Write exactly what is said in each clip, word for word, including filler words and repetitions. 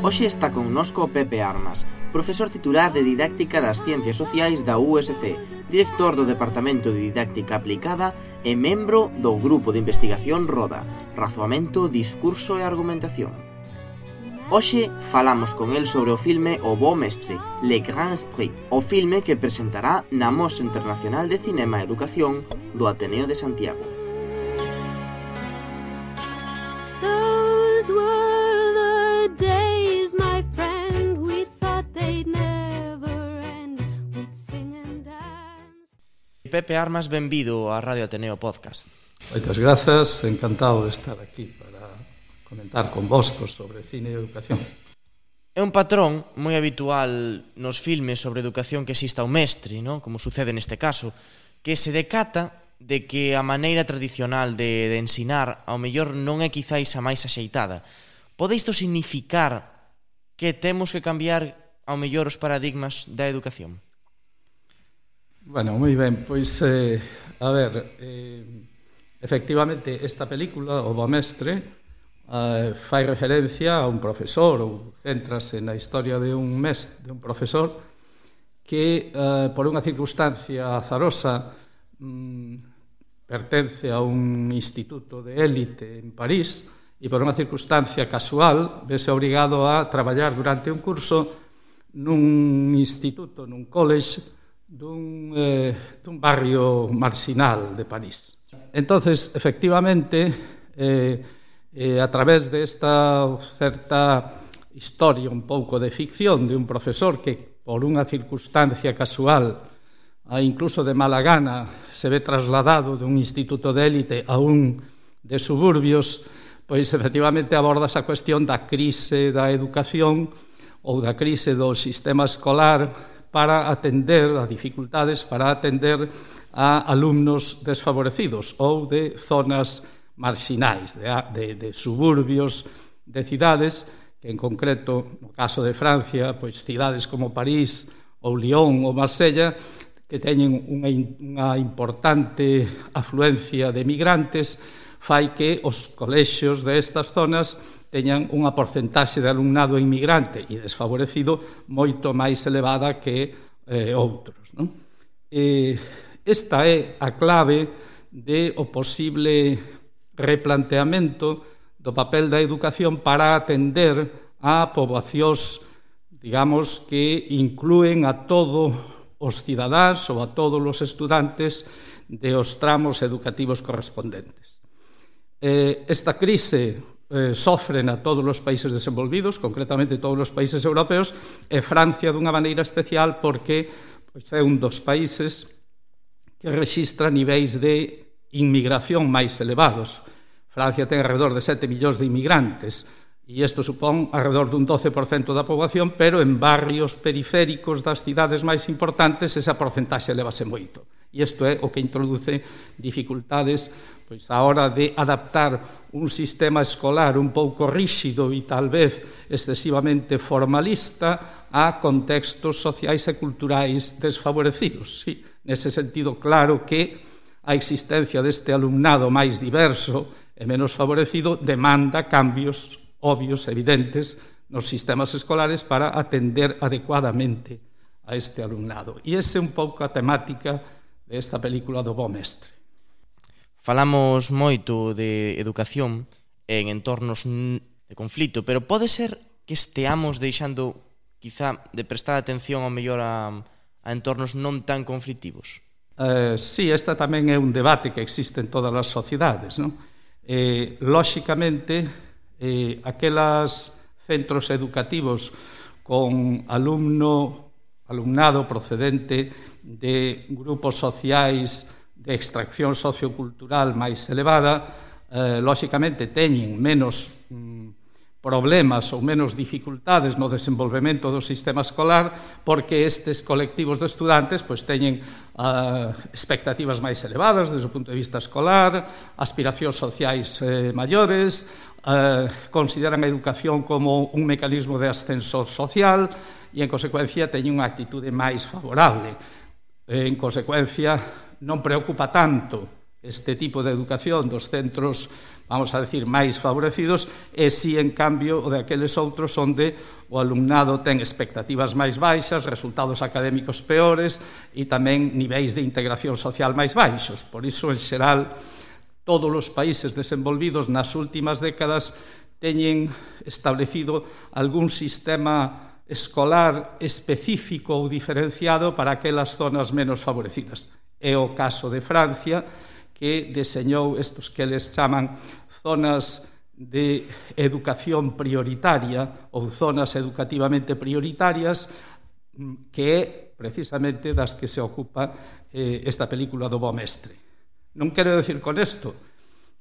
Hoxe está connosco Pepe Armas, profesor titular de Didáctica das Ciencias Sociais da U S C, director do Departamento de Didáctica Aplicada e membro do Grupo de Investigación RODA, Razoamento, Discurso e Argumentación. Hoxe falamos con el sobre o filme O Bo Mestre, Le Grand Esprit, o filme que presentará na Mostra Internacional de Cinema e Educación do Ateneo de Santiago. Pepe Armas, benvido á Radio Ateneo Podcast. Moitas grazas, encantado de estar aquí para comentar con vosco sobre cine e educación. É un patrón moi habitual nos filmes sobre educación que exista o mestre, ¿no? Como sucede neste caso, que se decata de que a maneira tradicional de, de ensinar ao mellor non é quizáis a máis axeitada. Pode isto significar que temos que cambiar ao mellor os paradigmas da educación? Bueno, moi ben, pois, eh, a ver, eh, efectivamente, esta película, O Bo Mestre, eh, fai referencia a un profesor, ou centrase na historia de un mestre, de un profesor, que, eh, por unha circunstancia azarosa, mm, pertence a un instituto de élite en París, e por unha circunstancia casual, vese obrigado a traballar durante un curso nun instituto, nun college, dun, eh, dun barrio marginal de París. Entonces, efectivamente, eh, eh, a través de esta certa historia un pouco de ficción de un profesor que, por unha circunstancia casual, a incluso de mala gana, se ve trasladado dun instituto de élite a un de suburbios, pois efectivamente aborda esa cuestión da crise da educación ou da crise do sistema escolar para atender a dificultades, para atender a alumnos desfavorecidos ou de zonas marxinais, de, de, de suburbios, de cidades, que en concreto, no caso de Francia, pois cidades como París ou Lyon ou Marsella, que teñen unha, unha importante afluencia de migrantes, fai que os colexios destas zonas teñan unha porcentaxe de alumnado inmigrante e desfavorecido moito máis elevada que eh, outros. Non? Eh, esta é a clave de o posible replanteamento do papel da educación para atender a poboacións, digamos, que inclúen a todos os cidadáns ou a todos os estudantes de os tramos educativos correspondentes. Eh, esta crise Eh, sofren a todos os países desenvolvidos, concretamente todos os países europeos, e Francia dunha maneira especial porque pois, é un dos países que rexistra niveis de inmigración máis elevados. Francia ten alrededor de sete millóns de inmigrantes e isto supón alrededor dun doce por cento da poboación, pero en barrios periféricos das cidades máis importantes esa porcentaxe elevase moito. E isto é o que introduce dificultades pois a hora de adaptar un sistema escolar un pouco ríxido e tal vez excesivamente formalista a contextos sociais e culturais desfavorecidos. Sí, nese sentido, claro que a existencia deste alumnado máis diverso e menos favorecido demanda cambios obvios, evidentes, nos sistemas escolares para atender adecuadamente a este alumnado. E esa é un pouco a temática desta película do Bo Mestre. Falamos moito de educación en entornos de conflito, pero pode ser que esteamos deixando, quizá, de prestar atención ao mellor a, a entornos non tan conflitivos? Eh, sí, esta tamén é un debate que existe en todas as sociedades, non? Eh, lóxicamente, eh, aquelas centros educativos con alumno, alumnado procedente de grupos sociais de extracción sociocultural máis elevada, eh, lóxicamente teñen menos mm, problemas ou menos dificultades no desenvolvemento do sistema escolar porque estes colectivos de estudantes pois, teñen uh, expectativas máis elevadas desde o punto de vista escolar, aspiracións sociais eh, maiores, eh, consideran a educación como un mecanismo de ascenso social e, en consecuencia, teñen unha actitude máis favorable. En consecuencia, non preocupa tanto este tipo de educación dos centros, vamos a decir, máis favorecidos, e si, en cambio, o de aqueles outros onde o alumnado ten expectativas máis baixas, resultados académicos peores e tamén niveis de integración social máis baixos. Por iso, en xeral, todos os países desenvolvidos nas últimas décadas teñen establecido algún sistema escolar específico ou diferenciado para aquelas zonas menos favorecidas. É o caso de Francia, que deseñou estos que les chaman zonas de educación prioritaria ou zonas educativamente prioritarias, que é precisamente das que se ocupa eh, esta película do Bo Mestre. Non quero decir con isto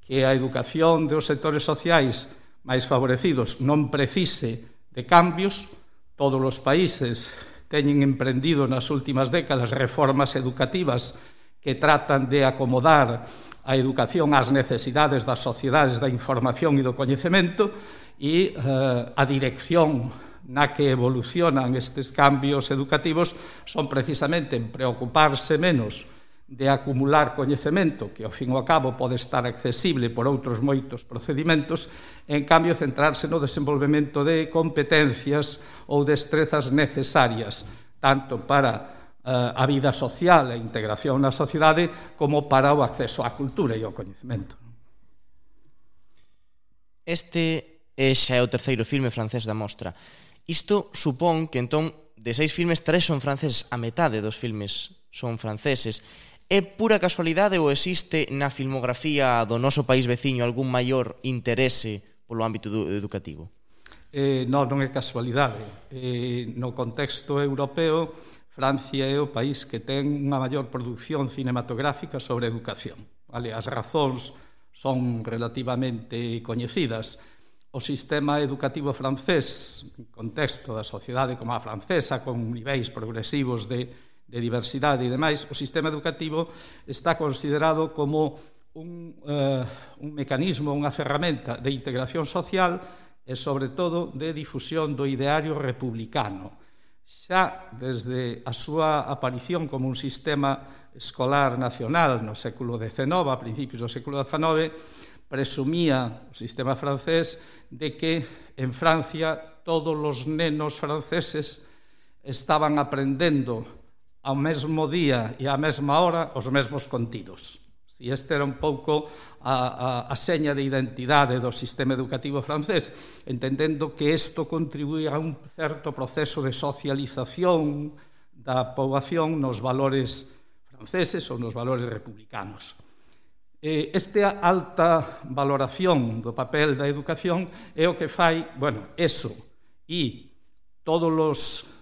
que a educación dos sectores sociais máis favorecidos non precise de cambios. Todos os países teñen emprendido nas últimas décadas reformas educativas que tratan de acomodar a educación ás necesidades das sociedades da información e do coñecemento, e eh, a dirección na que evolucionan estes cambios educativos son precisamente en preocuparse menos de acumular coñecemento, que ao fin e ao cabo pode estar accesible por outros moitos procedimentos, e en cambio centrarse no desenvolvemento de competencias ou destrezas necesarias, tanto para a vida social e a integración na sociedade como para o acceso á cultura e ao coñecemento. Este é xa é o terceiro filme francés da mostra. Isto supón que, entón, de seis filmes, tres son franceses, a metade dos filmes son franceses. É pura casualidade ou existe na filmografía do noso país veciño algún maior interese polo ámbito educativo? Eh, non, non é casualidade. Eh, no contexto europeo, Francia é o país que ten unha maior produción cinematográfica sobre educación. Vale? As razóns son relativamente coñecidas. O sistema educativo francés, en contexto da sociedade como a francesa, con niveis progresivos de, de diversidade e demais, o sistema educativo está considerado como un, eh, un mecanismo, unha ferramenta de integración social e, sobre todo, de difusión do ideario republicano. Xa desde a súa aparición como un sistema escolar nacional no século dezenove, a principios do século dezenove, presumía o sistema francés de que en Francia todos os nenos franceses estaban aprendendo ao mesmo día e á mesma hora os mesmos contidos. E este era un pouco a, a, a seña de identidade do sistema educativo francés, entendendo que isto contribuía a un certo proceso de socialización da poboación nos valores franceses ou nos valores republicanos. Esta alta valoración do papel da educación é o que fai, bueno, eso, e todos os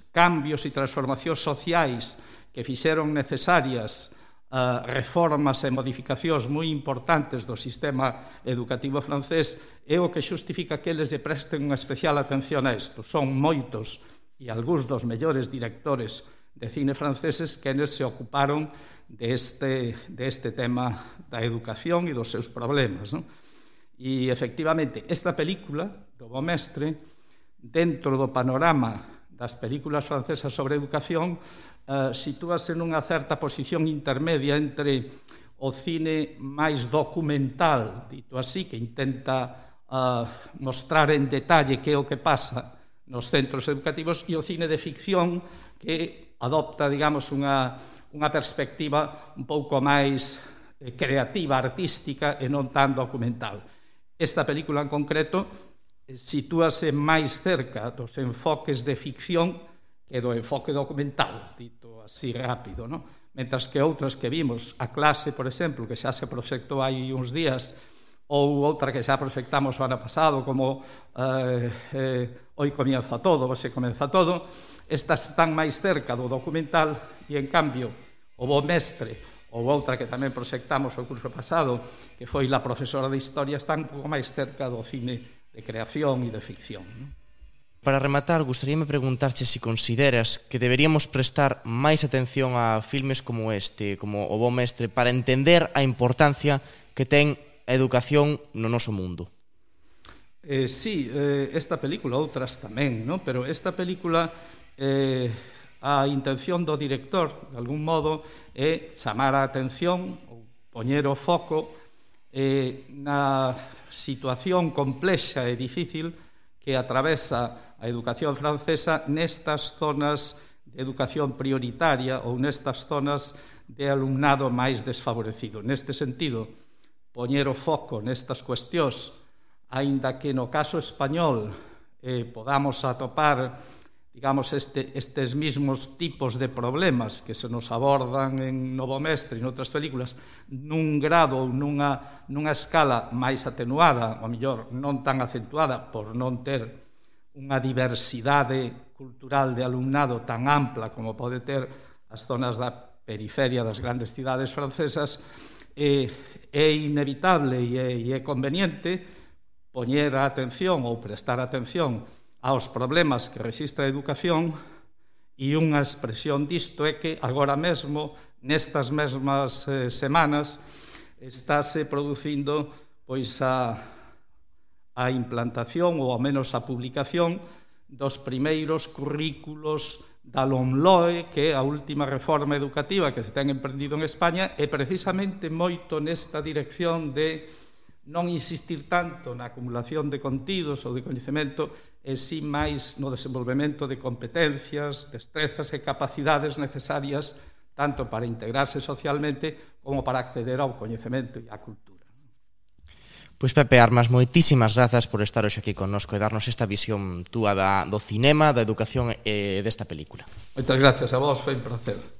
cambios e transformacións sociais que fixeron necesarias Uh, reformas e modificacións moi importantes do sistema educativo francés é o que xustifica que eles lle presten unha especial atención a isto. Son moitos e algúns dos mellores directores de cine franceses que eles se ocuparon deste, deste tema da educación e dos seus problemas, non? E, efectivamente, esta película do Bo Mestre, dentro do panorama das películas francesas sobre educación, Uh, sitúase nunha certa posición intermedia entre o cine máis documental, dito así, que intenta uh, mostrar en detalle que é o que pasa nos centros educativos, e o cine de ficción que adopta, digamos, unha, unha perspectiva un pouco máis eh, creativa, artística e non tan documental. Esta película en concreto eh, sitúase máis cerca dos enfoques de ficción que do enfoque documental, dito así rápido, non? Mentras que outras que vimos, A clase, por exemplo, que xa se proxectou hai uns días, ou outra que xa proxectamos o ano pasado, como eh, eh, Hoy comienza todo, Hoxe comeza todo, estas están máis cerca do documental, e, en cambio, o Bo Mestre, ou outra que tamén proxectamos o curso pasado, que foi La profesora de historia, están un pouco máis cerca do cine de creación e de ficción, non? Para rematar, gustaríame preguntarche se consideras que deberíamos prestar máis atención a filmes como este, como O Bo Mestre, para entender a importancia que ten a educación no noso mundo. Eh, sí, eh, esta película, outras tamén, ¿no? Pero esta película, eh, a intención do director, de algún modo, é chamar a atención, ou poñer o foco eh, na situación complexa e difícil que atravesa a educación francesa nestas zonas de educación prioritaria ou nestas zonas de alumnado máis desfavorecido. Neste sentido, poñer o foco nestas cuestións, aínda que no caso español eh, podamos atopar, digamos, este, estes mismos tipos de problemas que se nos abordan en Novo Mestre e noutras películas nun grado ou nunha, nunha escala máis atenuada, ou mellor non tan acentuada por non ter unha diversidade cultural de alumnado tan ampla como pode ter as zonas da periferia das grandes cidades francesas, eh, é inevitable e é, e é conveniente poñer a atención ou prestar atención aos problemas que rexistra a educación, e unha expresión disto é que agora mesmo, nestas mesmas eh, semanas, estáse producindo pois a, a implantación ou ao menos a publicación dos primeiros currículos da LOMLOE, que é a última reforma educativa que se ten emprendido en España, e precisamente moito nesta dirección de non insistir tanto na acumulación de contidos ou de coñecemento, e si máis no desenvolvemento de competencias, destrezas e capacidades necesarias tanto para integrarse socialmente como para acceder ao coñecemento e á cultura. Pois Pepe Armas, moitísimas grazas por estar hoxe aquí connosco e darnos esta visión túa da, do cinema, da educación e desta película. Moitas gracias a vos, foi un placer.